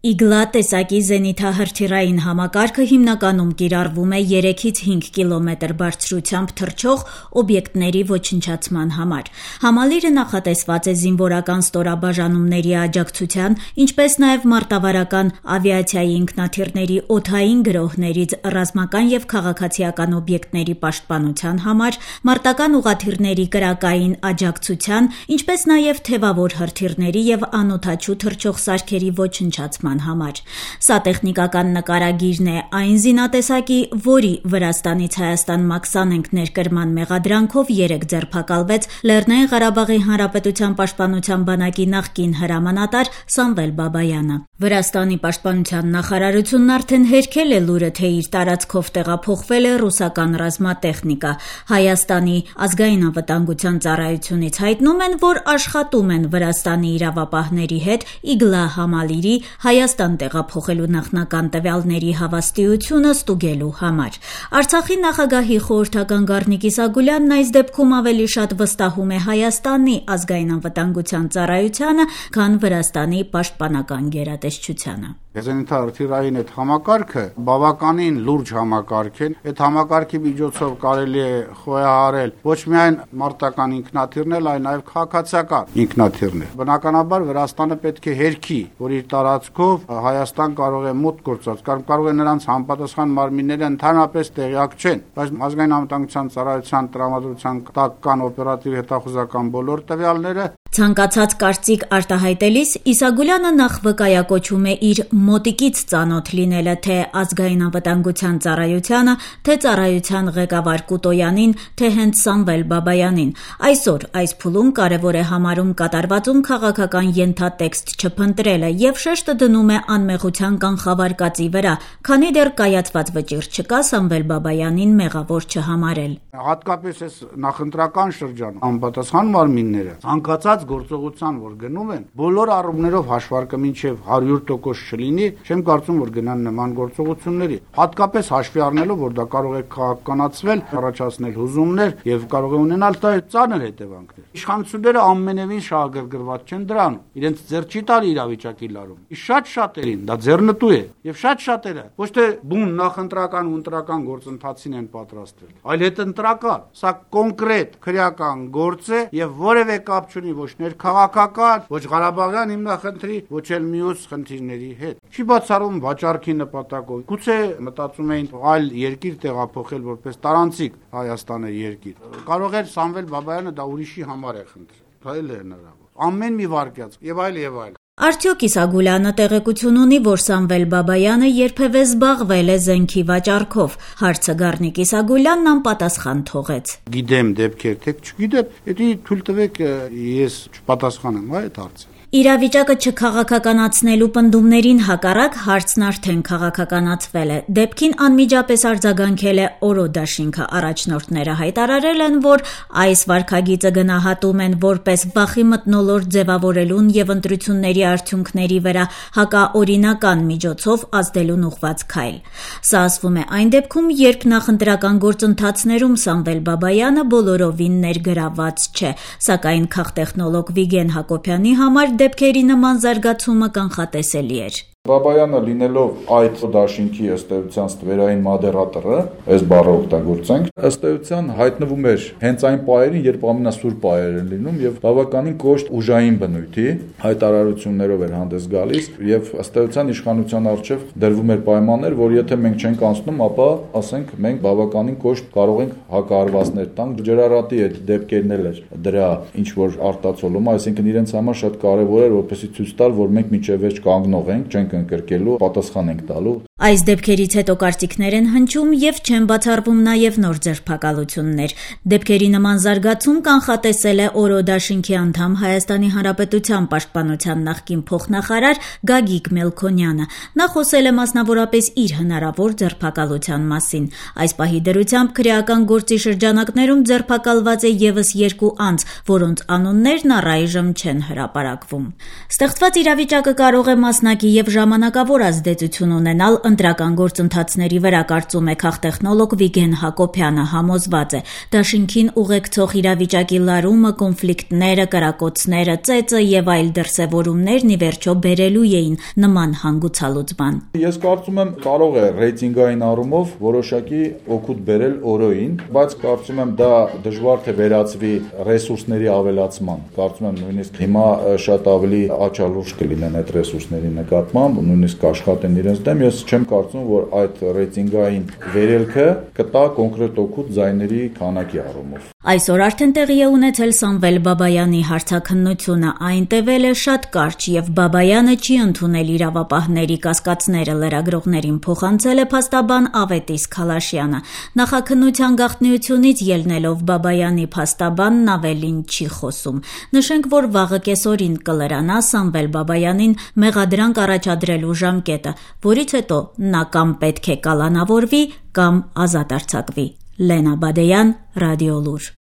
Իգլա տեսակի զենիթահրթիռային համակարգը հիմնականում կիրառվում է 3-ից 5 կիլոմետր բարձրությամբ թռչող օբյեկտների ոչնչացման համար։ Համալիրը նախատեսված է զինվորական ստորաբաժանումների աջակցության, ինչպես նաև մարտավարական ավիացիայի ինքնաթիռների օդային գրոհներից ռազմական և քաղաքացիական օբյեկտների պաշտպանության համար, մարտական ուղղաթիռների կրակային աջակցության, ինչպես նաև թևավոր հրթիռների և անօդաչու թռչող սարքերի ոչնչացման համար։ Սա տեխնիկական նկարագիրն է այն զինատեսակի, որի Վրաստանից Հայաստան մաքսանենգ ներկրման մեղադրանքով երեկ ձերբակալվեց Լեռնային Ղարաբաղի Հանրապետության պաշտպանության բանակի նախկին հրամանատար Սամվել Բաբայանը։ Վրաստանի պաշտպանության նախարարությունն արդեն հերքել է լուրը, թե իր տարածքով տեղափոխվել է ռուսական ռազմատեխնիկա։ Հայաստանի ազգային անվտանգության ծառայությունից հայտնում են, որ աշխատում են Վրաստանի իրավապահների հետ Իգլա համալիրի Հայաստան տեղափոխելու նախնական տվյալների հավաստիությունը ստուգելու համար։ Արցախի նախագահի խորհրդական Գառնիկ Իսագուլյանն այս դեպքում ավելի շատ վստահում է Հայաստանի ազգային անվտանգության ծառայությանը, քան Վրաստանի պաշտպանական գերատեսչությանը։ Զենիթահրթիռային այդ համակարգը բավականին լուրջ համակարգ է։ Այդ համակարգի միջոցով կարելի է խոյահարել ոչ միայն մարտական ինքնաթիռներ, այլ նաև քաղաքացիական ինքնաթիռներ։ Բնականաբար Վրաստանը պետք է հերքի, որ իր տարածքով Հայաստան կարող է մուտք գործել, կարող է նրանց համապատասխան մարմինները ընդհանրապես տեղյակ չեն, բայց ազգային անվտանգության ծառայության տրամադրության տակ կան օպերատիվ հետախուզական բոլոր տվյալները։ Ցանկացած կարծիք արտահայտելիս Իսագուլյանը նախ վկայակոչում է իր մոտիկից ծանոթ լինելը թե ազգային անվտանգության ծառայությանը, թե ծառայության ղեկավար Կուտոյանին, թե հենց Սամվել Բաբայանին։ Այսօր այս փուլում կարևոր է համարում կատարվածում քաղաքական ենթատեքստ չփնտրելը եւ շեշտը դնում է անմեղության կանխավարկածի վրա, քանի դեռ կայացված վճիռ չկա Սամվել Բաբայանին մեղավոր չհամարել։ Հատկապես այս նախընտրական շրջան անպատասխան մարմինները ցանկացած գործողության, որ գնում են, բոլոր առումներով հաշվարկը մինչև 100% չլինի, չեմ կարծում, որ գնան նման գործողությունների։ Հատկապես հաշվի առնելով, որ դա կարող է քաղաքականացվել, առաջացնել հուզումներ եւ կարող է ունենալ ծանր հետևանքներ։ Իշխանությունները ամենևին շահագրգռված չեն դրանում։ Իրենց ձեռ չի տալի իրավիճակի լարում։ Շատ շատերին դա ձեռնտու է եւ շատ շատերը ոչ թե բուն նախընտրական ու ընտրական գործընթացին են պատրաստվել, այլ հետընտրական։ Սա կոնկրետ քրեական գործ է եւ որևէ կապ չունի ոչ ներքաղաքական, ոչ Ղարաբաղյան հիմնախնդրի, ոչ էլ մյուս խնդիրների հետ։ Չի բացառում վաճառքի նպատակով։ Գուցե մտածում էին այլ երկիր տեղափոխել որպես տարանցիկ Հայաստանը երկիր։ Կարող էր Սամվել Բաբայանը դա ուրիշի համար է խնդրել։ Դա էլ է հնարավոր։ Ամեն մի վարկյաց եւ այլ։ Արդյոք Իսագուլյանը տեղեկություն ունի, որ Սամվել Բաբայանը երբևէ զբաղվել է զենքի վաճառքով։ Հարցը Գառնիկ Իսագուլյանն անպատասխան թողեց։ Գիտեմ դեպքեր, թե չգիտեմ, դա թույլ տվեք ես չպատասխանեմ այդ հարցը։ Իրավիճակը չքաղաքականացնելու պնդումներին հակառակ հարցն արդեն քաղաքականացվել է։ Դեպքին անմիջապես արձագանքել է ՕՐՈ դաշինքը։ Առաջնորդները հայտարարել են, որ այս վարքագիծը գնահատում են որպես վախի մթնոլորտ ձևավորելուն եւ ընտրությունների արդյունքների վրա հակաօրինական միջոցով ազդելուն ուղղված քայլ։ Սա ասվում է այն դեպքում, երբ նախընտրական գործընթացներում Սամվել Բաբայանը բոլորովին ներգրավված չէ, սակայն քաղտեխնոլոգ Վիգեն Հակոբյանի համար դեպքերի նման զարգացումը կանխատեսելի էր։ Բաբայանը լինելով այդ դաշինքի ըստ էության ստվերային մոդերատորը, այս բառը օգտագործենք, ըստ էության հայտնվում էր հենց այն պահերին, երբ ամենասուր պահեր են լինում եւ բավականին կոշտ ուժային բնույթի հայտարարություններով էր հանդես գալիս եւ ըստ էության իշխանության առջեւ դրվում էր պայմաններ, որ եթե մենք չենք անցնում, ապա ասենք մենք բավականին կոշտ կարող ենք հակահարվածներ տանք։ Ջրարատի այդ դեպքերն էլ էր դրա ինչ որ արտացոլումը, այսինքն իրենց համար շատ կարեւոր էր որպեսզի ցույց տալ, որ մենք մինչեւ վերջ կանգնող ենք, չենք ընկրկելու, պատասխան ենք տալու։ Այս դեպքերից հետո կարծիքներ են հնչում եւ չեն բացառվում նաեւ նոր ձերբակալություններ։ Դեպքերի նման զարգացում կանխատեսել է ՕՐՈ դաշինքի անդամ Հայաստանի Հանրապետության պաշտպանության նախկին փոխնախարար Գագիկ Մելքոնյանը։ Նա խոսել է մասնավորապես իր հնարավոր ձերբակալության մասին։ Այս պահի դրությամբ քրեական գործի շրջանակներում ձերբակալված է եւս 2 անձ, որոնց անուններն առայժմ չեն հրապարակվում։ Ստեղծված իրավիճակը կարող է մասնակի եւ ժամանակավոր ազդեցություն ունենալ ընտրական գործընթացների վրա, կարծում է քաղտեխնոլոգ Վիգեն Հակոբյանը, համոզված է, դաշինքին ուղեկցող իրավիճակի լարումը, կոնֆլիկտները, կրակոցները, ծեծը եւ այլ դրսեւորումներն ի վերջո բերելու էին նման հանգուցալուծման։ Ես կարծում եմ կարող է ռեյտինգային առումով որոշակի օգուտ բերել օրոյին, բայց կարծում եմ դա դժվար թե վերածվի ռեսուրսների ավելացման։ Կարծում եմ նույնիսկ հիմա շատ ավելի աչալուրջ կլինեն այդ ռեսուրսների նկատմամբ, նույնիսկ աշխատեն իրենց դեմ։ Ես չեմ կարծում, որ այդ ռեյտինգային վերելքը կտա կոնկրետ օգուտ ձայների քանակի առումով։ Այսօր արդեն տեղի է ունեցել Սամվել Բաբայանի հարցաքննությունը, այն տևել է շատ կարճ եւ Բաբայանը չի ընդունել իրավապահների կասկածները, լրագրողներին փոխանցել է փաստաբան Ավետիս Քալաշյանը։ Նախաքննության գաղտնիությունից ելնելով Բաբայանի փաստաբանն ավելին չի խոսում։ Նշենք, որ վաղը կեսօրին կլրանա Սամվել Բաբայանին մեղադրանք առաջադրելու ժամկետը, որից հետո նա կամ պետք է կալանավորվի, կամ ազատ արձակվի։ Լենա Բադեյան, Ռադիոլուր։